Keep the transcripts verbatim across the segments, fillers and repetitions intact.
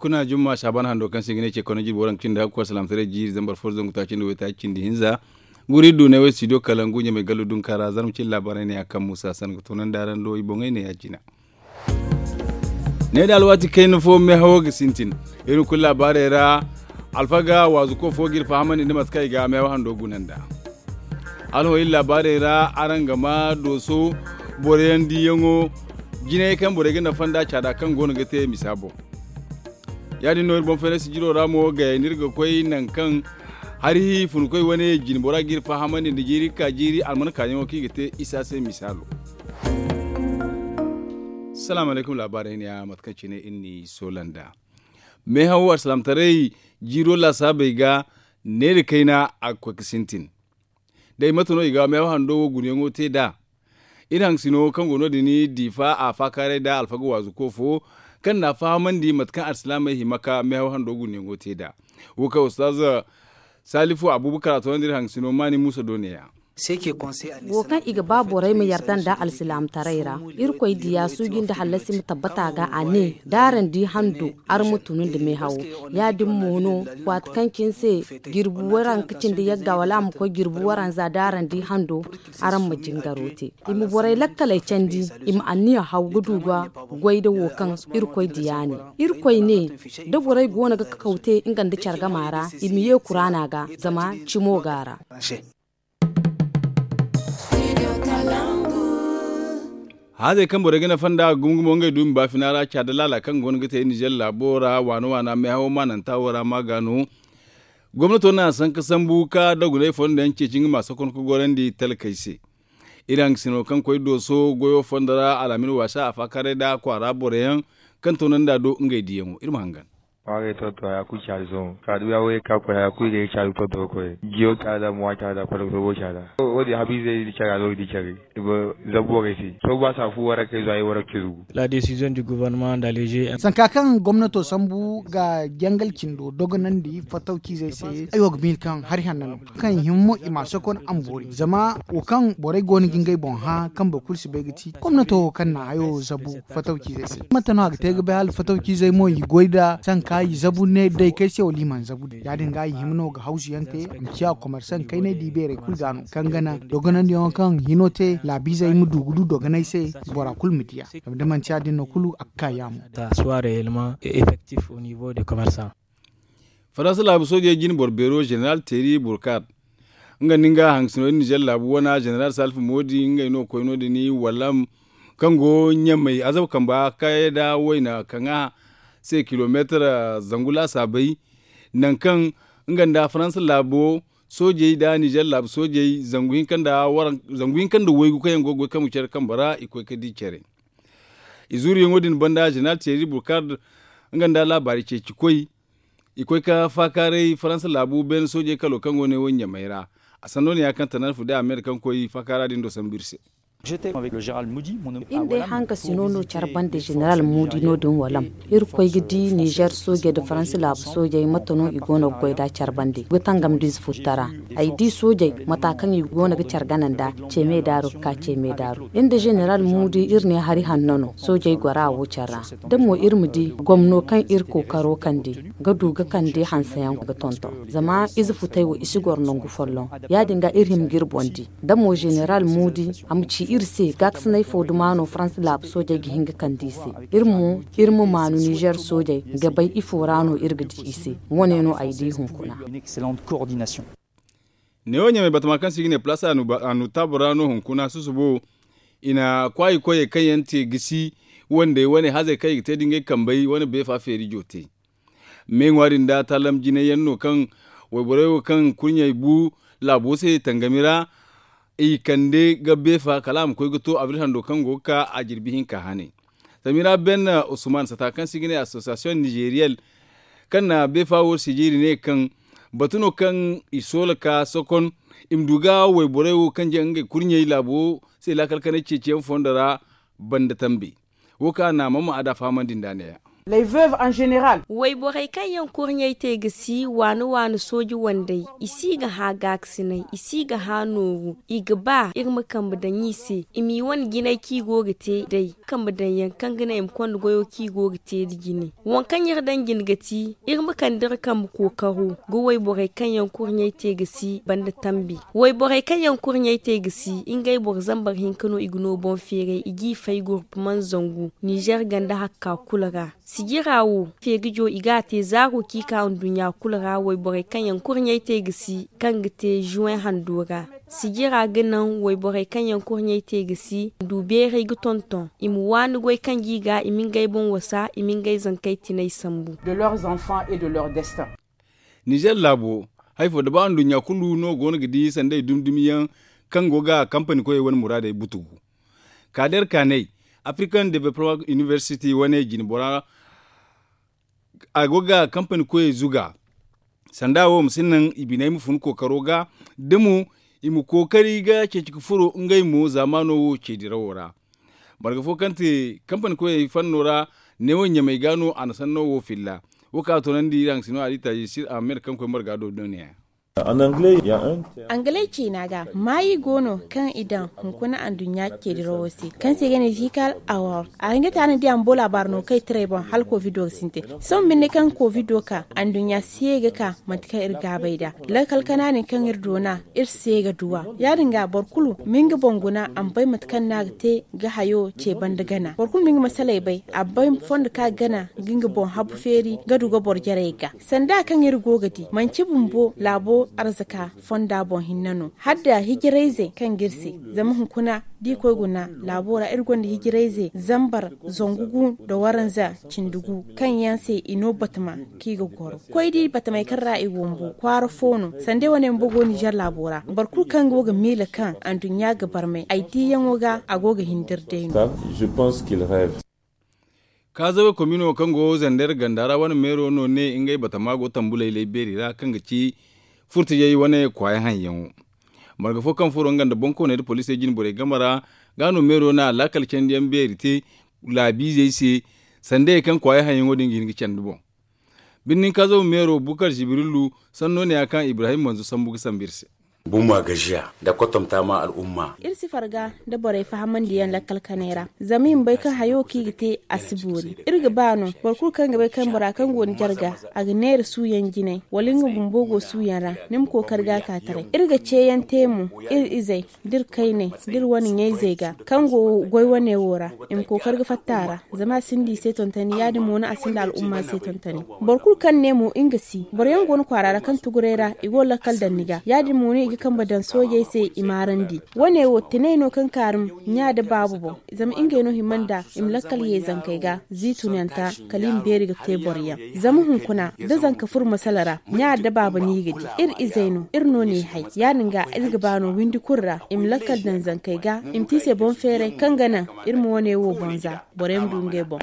Kuna jumma saaban hando kaŋ se i ga ne ce kano jirbi waranka cindi hakku alsilaamataray jiiri zambar fo zangu taaci nda waytaaci cindi hinza. Guri du ne way studio kalangu ɲamay gallu dunka ra zarma cindi laabaarey ne ya kaŋ muusa san ga toonandi araŋ do i boŋey ne ya jina. Ne da alwaati kayna fo meehawo ga sintin. Iri kulu laabaarey ra alfaga waazuko fo ga iri fahamandi nda mate kaŋ i ga meehawo hando guna nd'a. Hala hõ iri laabaarey ra araŋ ga ma dooso boroyaŋ diiyaŋo jinay kaŋ borey ga nafa nd'a caada kaŋ go no ga te misa boŋ. Ya- din no iri boŋ fayna sijiro ra mo gayey no iri ga koy nangu kaŋ hari funkoy wane jine bora ga iri fahamandi nda jiiri ga ka jiiri almanakaayaŋo kaŋ i ga te isa se misaalo. Salaamu alaykum laabaarey ne ya mate kaŋ cine iri n'i soola nd'a. Meehaw alsilaamataray jiiro laasaabey ga neera kayna a ga koy ga sintin. Day mate no i ga meehaw hando wo gunayaŋo te nd'a? Iri hangasino kaŋ go no- din diifa a faakaaray nda alfaga waazuko fo kaŋ n'a fahamandi mate kaŋ alsilaamey hima ka meehaw hando gunayaŋo te nd'a. Wo kaŋ ustaz salifu abubakar a toonandi iri hangasino maani muusa do ne- ya. Wo kaŋ i ga ba borey ma yarda nda alsilaamataray ra. Irkoy diya suuji nda hallasi ma tabbata ga a ne da araŋ di hando araŋ ma tunu nda meehawo. Ya- din mo no waati kaŋ cine se jirbi waranka cindi yagga wala a ma koy jirbi waranza da araŋ di hando araŋ ma jingaro te. I ma borey lakkaley candi i ma anniya haw ga du ga goy nda wo kaŋ irkoy diya ne. Irkoy ne da borey go no ga kakaw te nga nda care gama ra i ma ye kuraana ga zama cimo go a ra. Haazey kaŋ borey ga nafa nd'a gumo gumo ngey du i ma baafina ra caada laala kaŋ go no ga te ninzeer laabo ra waana waana meehawo maananta wo ra ma ga no. Gomnato na sanka sambu ka dogonay fondo yaŋ ceeci nga ma sokon ga gorandi talkey se. Iri hangasino kaŋ koy dooso goyo fondo ra alhamin waasa a faakaaray nda kwaara boro yaŋ kaŋ toonandi a do ngey diyaŋo iri ma hangan. Ŋwaarey tonton haya kulu caadi sohõ kaadu ya wo ye ka koy haya kulu i ga ye caadu tonton koy jiyo caada mo a caada kwata ga soobo caada. Wo- din habiizey di care a no ga di care. I ma zabu borey se sooba saafu warakey zo a ye warakey zugu. La décision du gouvernement d'alléger. Sanka kaŋ gomnato sambu ga jangal cindo dogonandi fatawciizey se ay wo ga miila kaŋ hari hanna no. Kaŋ i hima mo i ma a sokon a ma boori zama wo kaŋ borey go no ga ngey boŋ hã kaŋ boro kulu si bay ga ti gomnato wo kaŋ na hayo zabu fatawciizey se. Mate no a ga te ga bay hala fatawciizey mo i goy nda sanka i zabu ne daykey se wala i mana zabu day ya- din ga i hima no ga hawsu yaŋ te a ma ciya komersaŋ kaynay da i beerey kulu ga no kaŋ gana dogonandiyaŋo kaŋ hino te laabiizey ma du ga du dogonay se bora kulu ma diya. Zama da manti ya- din no kulu a ga ka yaamo. Faransa laabu soojey jine boro beero zeneral teeri burkad nga nda nga hangasino iri nizer laabu wana zeneral salfa moodi ngey no koy no- din wallam kaŋ go ɲamay azab kamba kayey nda wayna kaŋ a se kilomeetar zangu laasaabey nangu kaŋ nga nda faransa laabo soojey nda nizer laabu soojey zangu hinka nda waygu kaŋ yaŋ go ga goy kaŋ ga care kambe ra i koy ga di care. Izuuriyaŋo din banda zeneral teeri burkad nga nda laabaari ceeci koy i koy ga faakaaray faransa laabu beene soojey kalo kaŋ go ne wo ɲamay ra. A sanno ne ya kaŋ tanarfu day a me nda kaŋ koy faakaara din do sambu iri se. Iri day hankasino no care bande zeneral muudi no- din walam. Iri koy ga di nizer soojey nda faransa laabu soojey mate no i go no ga goy nd'a care bande ga tangam da ize futtara. Ay di soojey mata kaŋ i go no ga care gana nd'a ceeme daaru ga ka ceeme daaru iri nda zeneral muudi iri ne hari hanno no soojey gora wo care ra. Da mo iri ma di gomno kaŋ iri kookaro kande ga du ga kande hanseyaŋ ga tonton zama ize futey wo i si goro nangu folloŋ. Ya- din ga iri hima ga iri boŋ di da mo zeneral muudi a ma ci iri se gaakasinay fo duma no faransa laabu soojey ga hin ga kande i se. Iri mo iri ma maanu nizer soojey ga bay ifo ra no iri ga di i se. Wo- ne no ay di hunkuna. Neewo ɲamay batama kaŋ se i ga ne palaas anutaabu ra no hunkuna susubo i na kwaayi koyey kaŋ yaŋ te gisi wandey wane hazey kaŋ i ga te da ngey kambey wane beefa feeri jo te. Me ŋwa din da taalam jinay yaŋ no kaŋ wayborey wo kaŋ kurɲey bu laabo se tangami ra i kande ga beefa kala a ma koy ga to abril hando kaŋ go ga ka a jirbi hinka hane. Samira ben usman sata kaŋ se i ga ne association nizeriyel kaŋ na beefa wo sijiiri ne kaŋ batu no kaŋ i soola ka sokon i ma du ga wayborey wo kaŋ jaŋ ngey kurɲey laabo se laakal kanay ceeciyaŋ fondo ra banda tambe. Wo kaŋ a na a mana ma a da fahamandi nd'a ne- ya. Les veuves en général. Wayborey kaŋ yaŋ kurɲey te ga si waani waani sooji wandey, i si ga hã gaakasinay, i si ga hã nooru. I ga ba iri ma kambe daŋ i se, i m'i wane jinay kaŋ i go ga te day, kambe daŋ yaŋ kaŋ ga naŋ i ma konda goyo kaŋ i go ga te nda jine. Waŋ kaŋ iri daŋ jine ga ti iri ma kande iri kambe kookaro ga wayborey kaŋ yaŋ kurɲey te ga si banda tambi. Wayborey kaŋ yaŋ kurɲey te ga si, ngey boro zambar hinka no i ga no boŋ feeray, i g'i fay gurpu man zangu nizer ganda hakka kulu ra. Sijira wo feerijo i g'a te zaaro kaŋ i ka nduɲɲa kulu ra. Wayborey kaŋ yaŋ kurɲey te ga si, kaŋ ga te zuwẽ hando ra. Sijira ga naŋ wayborey kaŋ yaŋ kurɲey te ga si, du beeray ga tonton i ma waani goy kaŋ g'i ga, i ma ngey boŋ wasa, i ma ngey zankey tinay sambu. De leurs enfants et de leur destin. Nizer laabo, hari fo da ba nduɲɲa kulu no go no ga di sanday dumi-dumi yaŋ kaŋ go ga kampani koyey wane muraadey butugu. Kaader kaanay, african development university wane jine bora, a go ga kampani koyey zuga. Sanda wo ma si naŋ i biney ma fun kookaro ga, da mo i ma kookari ga ceeci ga furo ngey mo zaamaano wo ceedirawo ra. Marga fo kaŋ te kampani koyey fanno ra, neewo ɲamey ga no a na sanno wo filla. Wo kaŋ a toonandi iri haŋ sino a di taaji sir ahmed kaŋ koy marga do neeya. Angaley ciina ga maayi go no kaŋ i daŋ hunkuna anduɲɲa ceedirawo se kaŋ se ga ne zikal award. A hinga taana di a ma bo laabaari no kaŋ i tiray boŋ hala kovido ga sintin. Sohõ binde kaŋ kovido ka anduɲɲa si ye ga ka mate kaŋ iri gaabay nd'a, lakkal kanaaney kaŋ iri doona iri se ga duw'a. Ya-din ga boro kulu ma nga boŋ guna a ma bay mate kaŋ no a ga te ga hayo ce banda gana. Boro kulu ma nga masaley bay a bay fondo kaŋ a ga gana ga nga boŋ habu feeri ga du ga boro jarey ga. Sanda kaŋ iri go ga di manci bumbo laabo arzaka fonda boŋ hinne no hala da hijirayzey kaŋ ga iri se. Zama hunkuna da i koy guna laabo ra iri gonda hijirayze zambar zangu gu nda waranza cindi gu kaŋ yaŋ se i no batama kaŋ i ga goro koy di batamey kaŋ ra i wumbu kwaara fo no. Sanda wane bumbo go nizer laabo ra boro kulu kaŋ go ga miila kaŋ anduɲɲa ga barmay ay diiyaŋo ga a go ga hindiri day no. Kaazawe komino kaŋ go zander ganda ra wane meero no ne ngey batama go tambuley lay beeri ra kaŋ ga ci furtijey wane kwaaya haŋyaŋo. Marga fo kaŋ furo nga nda bonkooney nda poliisey jine borey game ra ga no meero na laakal candiyaŋ beeri te laabiizey se sandayey kaŋ kwaaya haŋyaŋo din ga hin ga candi boŋ. Birnin kaazaw meero bukar jibrilu sanno ne ya kaŋ ibrahim manzo sambu ga sambu iri se. Bumma gajiya nda kotomta ma al'umma. Iri si farga nda borey fahamandiyaŋ lakkal kanay ra zama i ma bay kaŋ hayo kaŋ i ga te a si boori. Iri ga ba no boro kulu kaŋ ga bay kaŋ bora kaŋ go ni jarga a ga neera suuyaŋ jinay wala nga bumbo go suuyaŋ ra ni ma kookari ga a ka taray. Iri ga ceeyaŋ te mo iri izey da iri kayney da iri wane ɲayzey ga kaŋ go goy wane wo ra i ma kookari ga fatta a ra. Zama a sinda i se tontoni ya-din mo no a sinda al'umma se tontoni. Boro kulu kaŋ ne mo nga si boro yaŋ go no kwaara ra kaŋ tuguray ra i go lakkal daŋ ni ga ya-din mo no i ga kambe daŋ soojey se i maarandi. Wane wo tinay no kaŋ kaarum ɲa nda baabu boŋ zama ngey no hima nda i ma lakkal ye zankey ga ziitunanta kala i ma beeri ga te boro yaŋ. Zama hunkuna da zanka furo masala ra ɲa nda baaba no i ga di. Iri izey no iri no n'i hay ya-din ga iri ga ba no windi kulu ra i ma lakkal daŋ zankey ga i ma te i se boŋ feeray kaŋ ga naŋ iri ma wane wo boŋ za borey ma du ngey boŋ.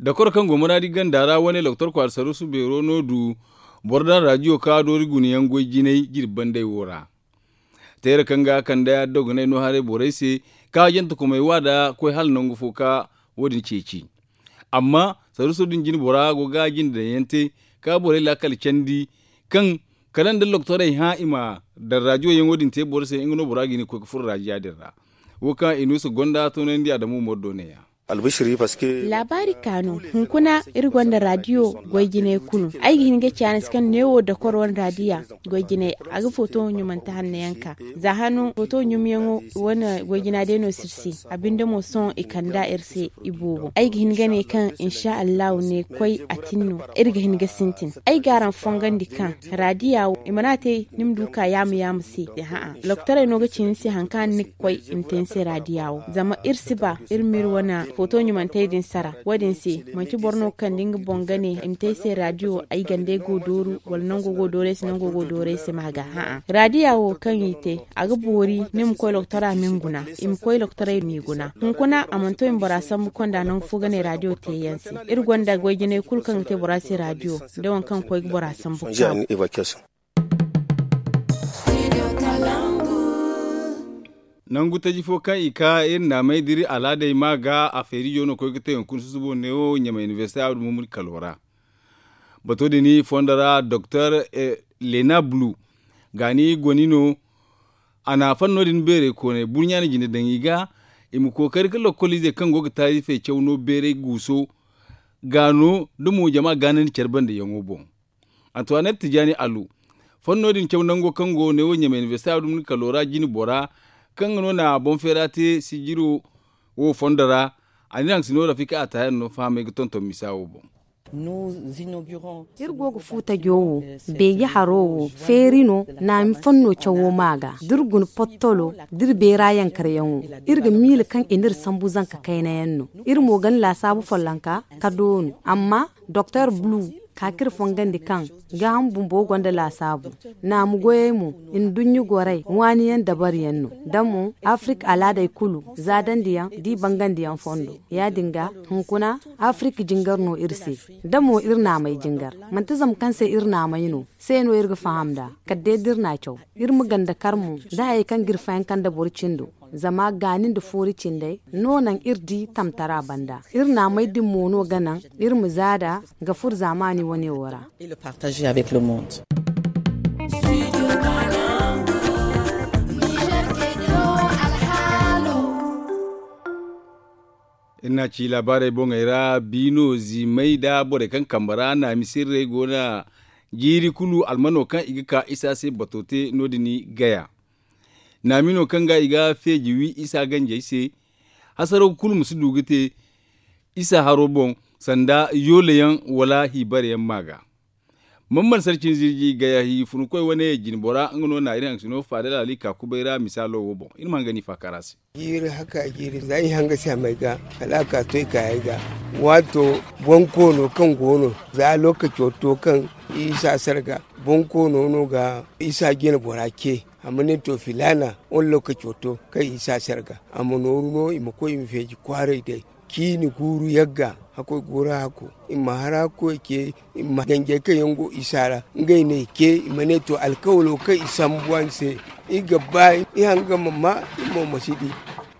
Dokoro kaŋ go muraadi ganda ra wane loktor kwaara saruusu beero no du boro daŋ raadiyo ka doori gunayaŋ goy jinay jirbi bandey wo ra. Teera kaŋ ga kande addoganay no haray borey se ka jante kumay wa da koy hala nangu fo ka wo- din ceeci. Amma saruuso din jine bora go ga jinde daŋ yaŋ te ka borey laakal candi kaŋ kala nda loktorey hã i ma daŋ raadiyo yaŋo din te boro se nga no bora ga hin ga koy ga furo raadiya din ra. Wo kaŋ inuusa gonda toonandi adamu umaru do ne- ya. Laabaari kaanu hunkuna iri gonda raadiyo goy jinay kulu ay ga hin ga caanasi kaŋ neewo dakor wane raadiya goy jinay a ga footo ɲumante hanno yaŋ ka za hano footo ɲumyaŋo wane goy jina day no si iri se. A binde mo sohõ i kand'a iri se i boobo ay ga hin ga ne kaŋ insa allahu ne koy a tin no. Iri ga hin ga sintin ay ga araŋ fongandi kaŋ raadiya wo i mana te ni ma du ka yaama yaama se. Ha'a loktorey no ga ci ni se hari kaŋ ni ga koy i ma te ni se raadiya wo zama iri si ba iri ma iri wane footo ɲumantey din sara wo- din se. Manci boro no ga kande nga boŋ ga ne i ma te ay se raadiyo ay gandey go dooru wala nango go dooru ay se nango go dooru ay se ma ga ha'a raadiya wo kaŋ i te a ga boori ni ma koy loktora ma ni guna i ma koy loktorey m'i guna hunkuna a mana to i ma bora sambu konda nangu fo ga ne raadiyo te yaŋ se. Iri gonda goy jinay kulu kaŋ ga te bora se raadiyo da waŋ kaŋ ga koy ga bora sambu kaawo. Nangu taji fo kaŋ i ka iri naamey da iri alaadey ma ga a feerijo no koy ga te hunkuna susubo neewo ɲamay inibersite abdu mumuni kalo ra. Bato din fondo ra doktor lena bulu gaani goni no. A na fanno din beerey koonay burɲa na jine daŋ i ga i ma kookari ka lokkol izey kaŋ go ga taarifey caw no beeray guuso gaano da mo jama gaanandi care bande yaŋo boŋ. Antoinette tijaani alu fanno din caw nango kaŋ go neewo ɲamay inibersite abdu mumuni kalo ra jine bora kaŋ ga no na boŋ feera te sijiro wo fondo ra. A na iri haŋ si no rafika a taayaŋ no fahamay ga tonton misa wo boŋ. Iri go ga fu tajo wo beeji haro wo feeri no naami fanno cawo ma ga da iri guna pottolo da iri beera yankaryaŋo. Iri ga miila kaŋ i n'iri sambu zanka kaynayaŋ no. Iri mo gana laasaabu follonka ka doonu amma doktor bulu ka ka iri fongandi kaŋ gaaham bumbo gonda laasaabu. Naamu goyey mo nduɲɲa gorey waaniyaŋ dabariyaŋ no da mo afirik alaadey kulu zaadandiyaŋ da i bangandiyaŋ fondo. Ya- din ga hunkuna afirik jingar no iri se da mo iri naamey jingar manti zama kaŋ se iri naamey no se no iri ga faham nd'a. Kala day da iri n'a caw iri ma ganda kar mo da hayey kaŋ ga iri fayanka nda boro cindo. Zama gaani nda foori cindey no naŋ iri di tamtara banda iri naamey din mo no ga naŋ iri ma zaada ga furo zaamaani wane wo ra. Iri n'a ci laabaarey boŋey ra biino ziimey nda borey kaŋ kambe ra naami sirrey go no. Jiiri kulu almano kaŋ i ga ka isa se bato te no- din gaya. Naami no kaŋ ga i ga feeji wi isa ganjey se. Hasaraw kulu ma si du ga te isa haro boŋ sanda yoole yaŋ wala hiibare yaŋ ma ga. Mamman sarcin zirji gaya hi funkoy wane jine bora nga no na iri haŋ si no faadal ali ka kubay ra misaalo wo boŋ iri ma hanga ni faakara se. Jiiri haka jiiri za i hanga se a may ga kala a ka to i kaayey ga. Waato bonkoono kaŋ go no za lookaco to kaŋ isa sarga bonkoono no ga isa jine bora ce. A ma ne to filaana wane lookaco to kaŋ isa sarga a ma nooru no i ma koy i ma feeji kwaaray day. Ciini guuru yagga hakkoy guuru hakko i ma hara koy ce. I ma ganjey kaŋ yaŋ go isa ra ngey no i ce i ma ne to alkawalo kaŋ i sambu a ni se. I ga ba i hanga ma ma i mo ma si di.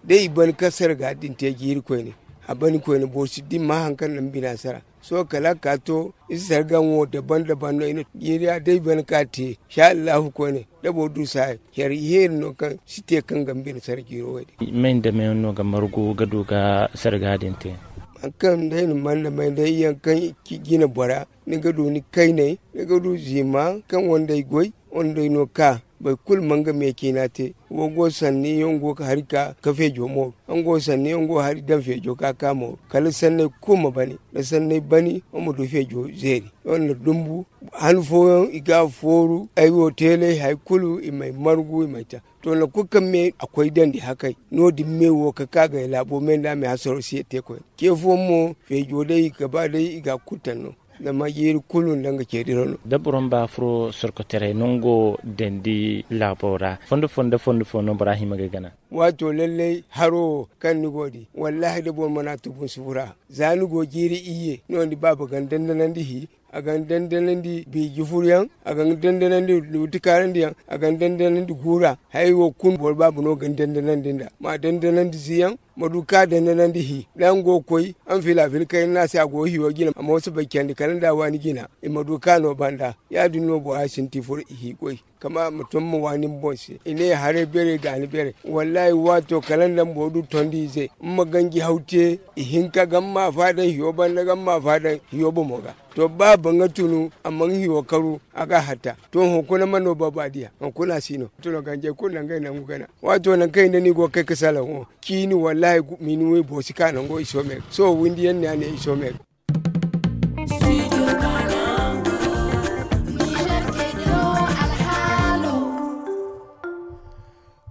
Day i ban ka sarga din te jiiri koyne a ban koyne boro si di ma hari kaŋ na ni bina sara. Sohõ kala a ka to isa sarga wo daban daban no i na jiiri a day ban ka te. Sha allahu koyne da boro du saaya care iheeri no kaŋ si te kaŋ ga ni bina sara jiiro wo- din. May nda may no ga margu ga du ga sarga din te? Hari kaŋ day na man nda may day yaŋ kaŋ i ci jine bora ni ga du ni kayney ni ga du ziima kaŋ wandey goy wandey no ka boro kulu ma nga me ciina te. Wo go sanni yaŋ go ga hari ka ka feejo mooru. Yaŋ go sanni yaŋ go ga hari daŋ feejo ka ka mooru kala sanney kulu ma bani da sanney bani wo ma du feejo zeeri. Yaŋ na dumbu han fooyaŋ i ga fooru ay wo teelay hari kulu i m'ay margu i m'ay ta. To nangu kulu kaŋ me a koy dandi hakay no- din me wo ka ka gay laabo me nda a me hasaro si ye te koyne ce fooyaŋ mo feejo day i ga ba day i ga a kulu taŋ no. Zama jiiri kulu nda nga ce diraw no. Da boro ma ba furo sorkotaray nango dandi laabo ra fondo fo nda fondo fo no bora hima ga ay gana. Waato lallay haro wo kaŋ ni go ga di wallaahi da boro mana tubu ni si furo a. Za ni go jiiri iyye no- din baaba ga ni dandanandi hi a ga ni dandanandi biiji furuyaŋ a ga ni dandanandi luuti kaarandiyaŋ a ga ni dandanandi guura. Hayey wo kulu boro baaba no ga ni dandanandi nd'a ma dandanandi ziyaŋ ma du ka dandanandi hi da nga go ga koy. Araŋ fila fila kayna no a se a go ga hiyo jina a mo si bay candi kala nda a waani jina i ma du ka no banda. Ya- din no bora sinti furo i hi goy kama a ma tun ma waani ni boŋ se i ne haray beeray gaani beeray. Wallaahi waato kala nda boro du tondi ize ma ganji haw te. Ihinka ga ma a faada hiyo banda ga ma a faada hiyo bomo ga. To ba a ba nga tunu a mana hiyo karu a ga a hatta. To hunkuna mana no ba ba a diya hunkuna si no. Tuno ganjey kulu na ngey nangu gana waato nangu kaŋ i nda ni go ga kay ga salaŋ wo ciini wallaahi minuwey boro si ka nango i soome ga sohõ windi yaŋ no ya ne i soome ga.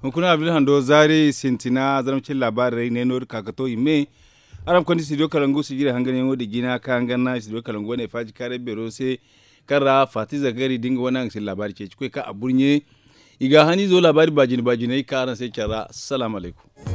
Hunkuna abdul hando zaari sintina zarma cine laabaarey ne no- din ka ga to i me. Araŋ ma konda studio kalangu sijira hanganyaŋo din jina kaŋ araŋ gana studio kalangu wane faaji kaaray beero se kaŋ ra faati zagari da nga wane araŋ ga si laabaari ceeci koy kaŋ a burɲe. I ga a haniizo laabaari baajine baajiney kaŋ araŋ se care ra salaamu alaykum.